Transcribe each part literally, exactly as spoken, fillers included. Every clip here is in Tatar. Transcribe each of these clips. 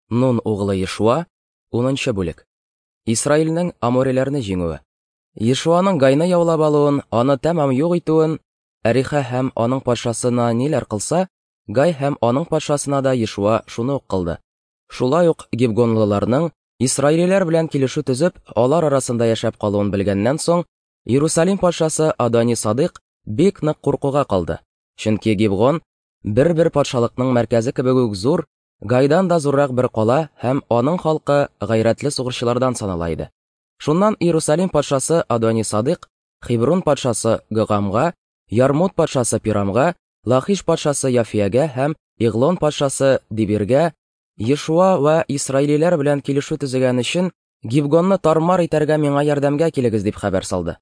Нун углы Ешуа, унынчы бүлек. Исраилнең амориләрне җиңүе. Ешуаның Гайны яулап алуын, аны тәмам юк итүен, Әриха һәм аның патшасына ниләр кылса, Гай һәм аның патшасына да Ешуа шуны ук кылды. Шулай ук гибгонлыларның исраилиләр белән килешү төзеп, алар арасында яшәп калуын белгәннән соң, Иерусалим патшасы Адони Садык бик нык куркуга калды. Чөнки Гибгон бер-бер патшалыкның мәркәзе кебек үк зур, Гайдан да зуррак бер кала һәм аның халкы гайрәтле сугышчылардан санала иде. Шуннан Иерусалим патшасы Адони Садык Хеброн патшасы Гогамга, Ярмут патшасы Пирамга, Лахиш патшасы Яфиягә һәм Иглон патшасы Дибиргә Ешуа вә исраилиләр белән килешү төзегән өчен Гибгонны тармар итәргә миңа ярдәмгә килегез дип хәбәр салды.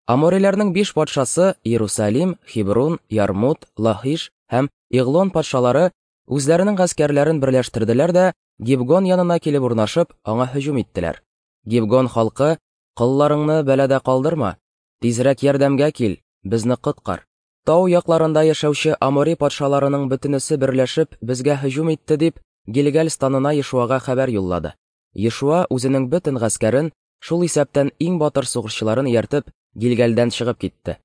Амориләрнең биш патшасы Иерусалим, Хеброн, Ярмут, Лахиш һәм Иглон патшалары үзләренең гаскәрләрен берләштерделәр дә Гибгон янына килеп урнашып, аңа һөҗүм иттеләр. Гибгон халкы: "Колларыңны бәладә калдырма, тизрәк ярдәмгә кил, безне коткар. Тау якларында яшәүче Амори патшаларының бөтенесе берләшеп безгә һөҗүм итте" дип Гилгәл станына Ешуага хәбәр юллады. Ешуа үзенең бөтен гаскәрен, шул исәптән иң батыр сугышчыларын ияртеп, Гилгәлдән чыгып китте.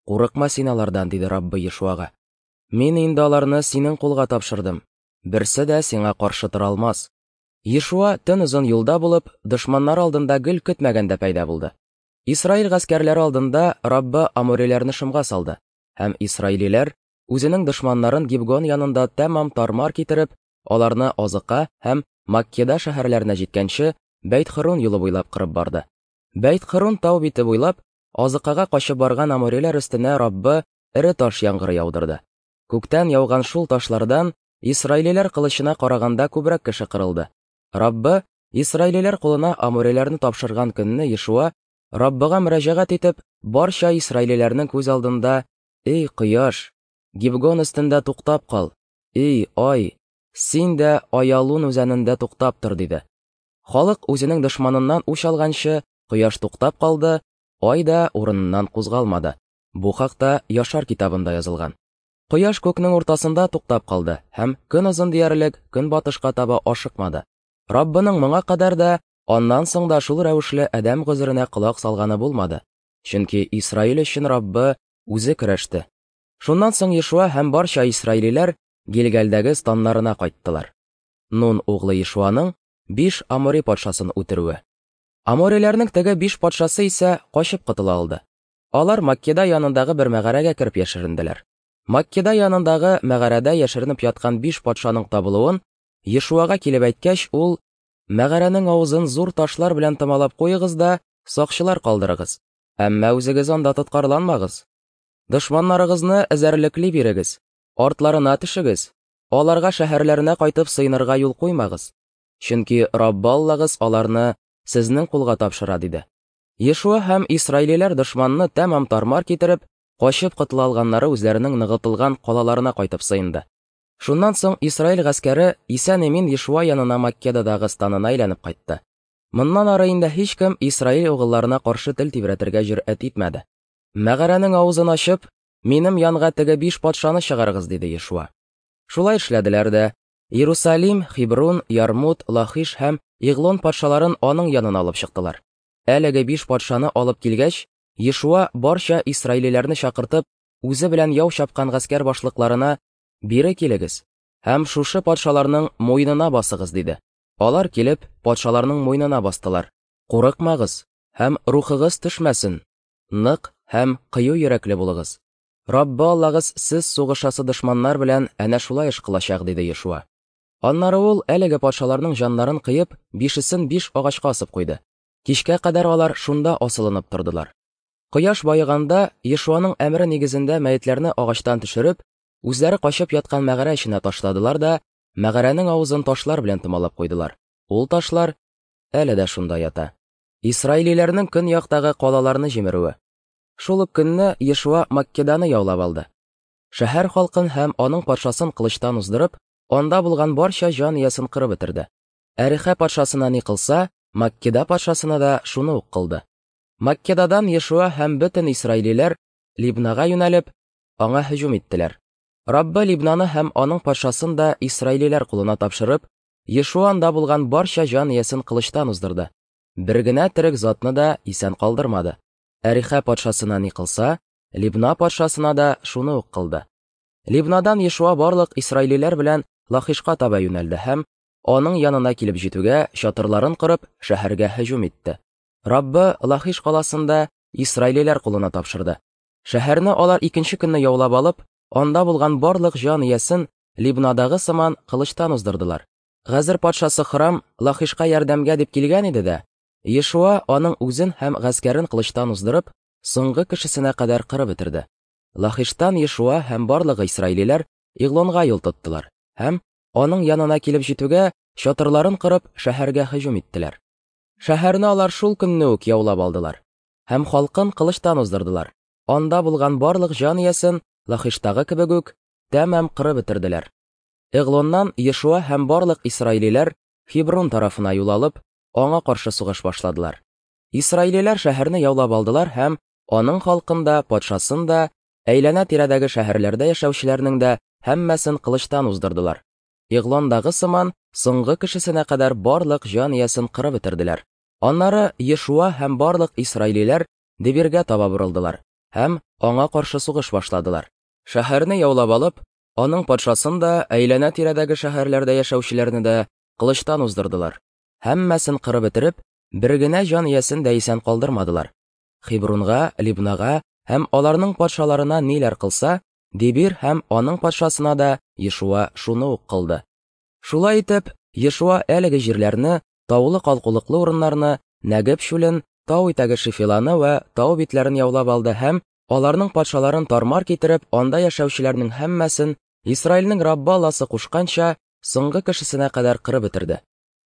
"Курыкма син алардан", диде Раббы Ешуага. "Мин инде аларны синең кулга тапшырдым. Берсе дә сиңа каршы тора алмас." Ешуа төн озын юлда булып, дошманнар алдында гел көтмәгәндә пәйда булды. Исраил гаскәрләре алдында Раббы амориләрне шомга салды, һәм исраилиләр үзенең дошманнарын Гибгон янында тәмам тармар китереп, аларны Азыка һәм Маккеда шәһәрләренә җиткәнче Бәйт-Хөрун юлы буйлап кырып барды. Бәйт-Хөрун тау бите буйлап Азыкага качып барган амориләр өстенә Раббы эре таш яңгыры яудырды. Күктән яуган шул ташлардан исраилиләр кылычына караганда күбрәк кеше кырылды. Раббы исраилиләр кулына амориләрне тапшырган көнне Ешуа Раббыга мөрәҗәгать итеп, барча исраилиләрнең күз алдында: "Эй кояш, Гибгон өстендә туктап кал! Эй ай, син дә Аялун үзәнендә туктап тор" диде. Халык үзенең дошманыннан үч алганчы, кояш туктап калды, ай да урыныннан кузгалмады. Бу хакта Яшар китабында язылган. Кояш күкнең уртасында туктап калды һәм көн озын диярлек көнбатышка таба ашыкмады. Раббының моңа кадәр дә, аннан соң да шул рәвешле адәм гозеренә колак салганы булмады. Чөнки Исраил өчен Раббы үзе көрәште. Шуннан соң Ешуа һәм барча исраилиләр Гилгәлдәге станнарына кайттылар. Нун углы Ешуаның биш Амори патшасын үтерүе. Амориләрнең теге биш патшасы исә качып котыла алды. Алар Маккеда янындагы бер мәгарәгә кереп яшеренделәр. Маккеда янындагы мәгарәдә яшеренеп яткан биш патшаның табылуын Ешуага килеп әйткәч, ул: "Мәгарәнең авызын зур ташлар белән томалап куегыз да сакчылар калдырыгыз. Әмма үзегез анда тоткарланмагыз. Дошманнарыгызны эзәрлекли бирегез, артларына төшегез, аларга шәһәрләренә кайтып сыенырга юл куймагыз. Чөнки Раббы Аллагыз аларны сезнең кулга тапшыра" диде. Ешуа һәм исраилиләр дошманны тәмам тармар китереп, качып котыла алганнары үзләренең ныгытылган калаларына кайтып сыенды. Шуннан соң Исраил гаскәре исән-имин Ешуа янына Маккедадагы станына әйләнеп кайтты. Моннан ары инде һичкем Исраил угылларына каршы тел тибрәтергә җөрьәт итмәде. "Мәгарәнең авызын ачып, минем янга теге биш патшаны чыгарыгыз" диде Ешуа. Шулай эшләделәр дә. Иерусалим, Хеброн, Ярмут, Лахиш һәм Иглон патшаларын аның янына алып чыктылар. Әлеге биш патшаны алып килгәч, Ешуа барча исраилиләрне чакыртып, үзе белән яу чапкан гаскәр башлыкларына: "Бире килегез һәм шушы патшаларның муенына басыгыз" диде. Алар килеп, патшаларның муенына бастылар. "Курыкмагыз һәм рухыгыз төшмәсен. Нык һәм кыю йөрәкле булыгыз. Раббы Аллагыз сез сугышасы дошманнар белән әнә шулай эш кылачак" диде Ешуа. Аннары ул әлеге патшаларның җаннарын кыеп, бишесен биш агачка асып куйды. Кичкә кадәр алар шунда асылынып тордылар. Кояш баеганда Ешуаның әмере нигезендә мәетләрне агачтан төшереп, үзләре качып яткан мәгарә эченә ташладылар да, мәгарәнең авызын ташлар белән томалап куйдылар. Ул ташлар әле дә шунда ята. Исраилиләрнең көньяктагы калаларны җимерүе. Шул ук көнне Ешуа Маккеданы яулап алды. Шәһәр халкын һәм аның патшасын кылычтан уздырып, анда булган барча җан иясен кырып бетерде. Әриха патшасына ни кылса, Маккеда патшасына да шуны ук кылды. Маккедадан Ешуа һәм бөтен исраилиләр Либнага юнәлеп, аңа һөҗүм иттеләр. Раббы Либнаны һәм аның патшасын да исраилиләр кулына тапшырып, Ешуа анда булган барча җан иясен кылычтан уздырды. Бер генә терек затны да исән калдырмады. Әрихә патшасына ни кылса, Либна патшасына да шуны ук кылды. Либнадан Ешуа барлык исраилиләр белән Лахишка таба юнәлде һәм аның янына килеп җитүгә чатырларын корып, шәһәргә һөҗүм итте. Раббы Лахиш каласында исраилиләр кулына тапшырды. Шәһәрне алар икенче көнне яулап алып, анда булган барлык җан иясен Либнадагы сыман кылычтан уздырдылар. Газер патшасы Храм Лахишка ярдәмгә дип килгән иде дә, Ешуа аның үзен һәм гаскәрен кылычтан уздырып, соңгы кешесенә кадәр кырып бетерде. Лахиштан Ешуа һәм барлык исраилиләр Иглонга юл тоттылар һәм аның янына килеп җитүгә чатырларын корып, шәһәргә һөҗүм иттеләр. Шәһәрне алар шул көнне үк яулап алдылар һәм халкын кылычтан уздырдылар. Анда булган барлык җан иясен Лахиштагы кебек үк тәмам кырып бетерделәр. Эглоннан Ешуа һәм барлык исраилиләр Хеброн тарафына юл алып, аңа каршы сугыш башладылар. Исраилиләр шәһәрне яулап алдылар һәм аның халкын да, патшасын да, әйләнә-тирәдәге шәһәрләрдә яшәүчеләрнең дә һәммәсен кылычтан уздырдылар. Иглондагы сыман соңгы кешесенә кадәр барлык җан иясен кырып бетерделәр. Аннары Ешуа һәм барлык исраилиләр Дебиргә таба борылдылар һәм аңа каршы сугыш башладылар. Шәһәрне яулап алып, аның патшасын да, әйләнә-тирәдәге шәһәрләрдә яшәүчеләрне дә кылычтан уздырдылар. Һәммәсен кырып бетереп, бер генә җан иясен дә исән калдырмадылар. Хебронга, Либнага һәм аларның патшаларына ниләр кылса, Дебир һәм аның патшасына да Ешуа шуны ук кылды. Шулай итеп, Ешуа әлеге җирләрне, таулы калкулыклы урыннарны, Нәгеб чүлен, тау итәге Шефиланы вә тау битләрен яулап алды һәм аларның патшаларын тармар китереп, анда яшәүчеләрнең һәммәсен Исраилнең Раббы Алласы кушканча, соңгы кешесенә кадәр кырып бетерде.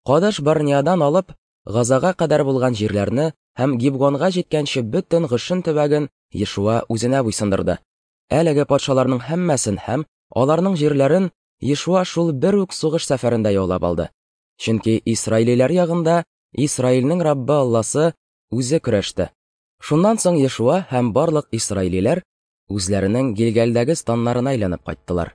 Кадыш Барниадан алып, Газага кадәр булган җирләрне һәм Гибгонга җиткәнче бөтен Гошен төбәген Ешуа үзенә буйсындырды. Әлеге патшаларның һәммәсен һәм аларның җирләрен Ешуа шул бер үк сугыш сәфәрендә яулап алды. Чөнки исраилиләр ягында Исраилнең Раббы Алласы үзе көрәште. Шуннан соң Ешуа һәм барлык исраилиләр үзләренең Гилгалдәге станнарына әйләнеп кайттылар.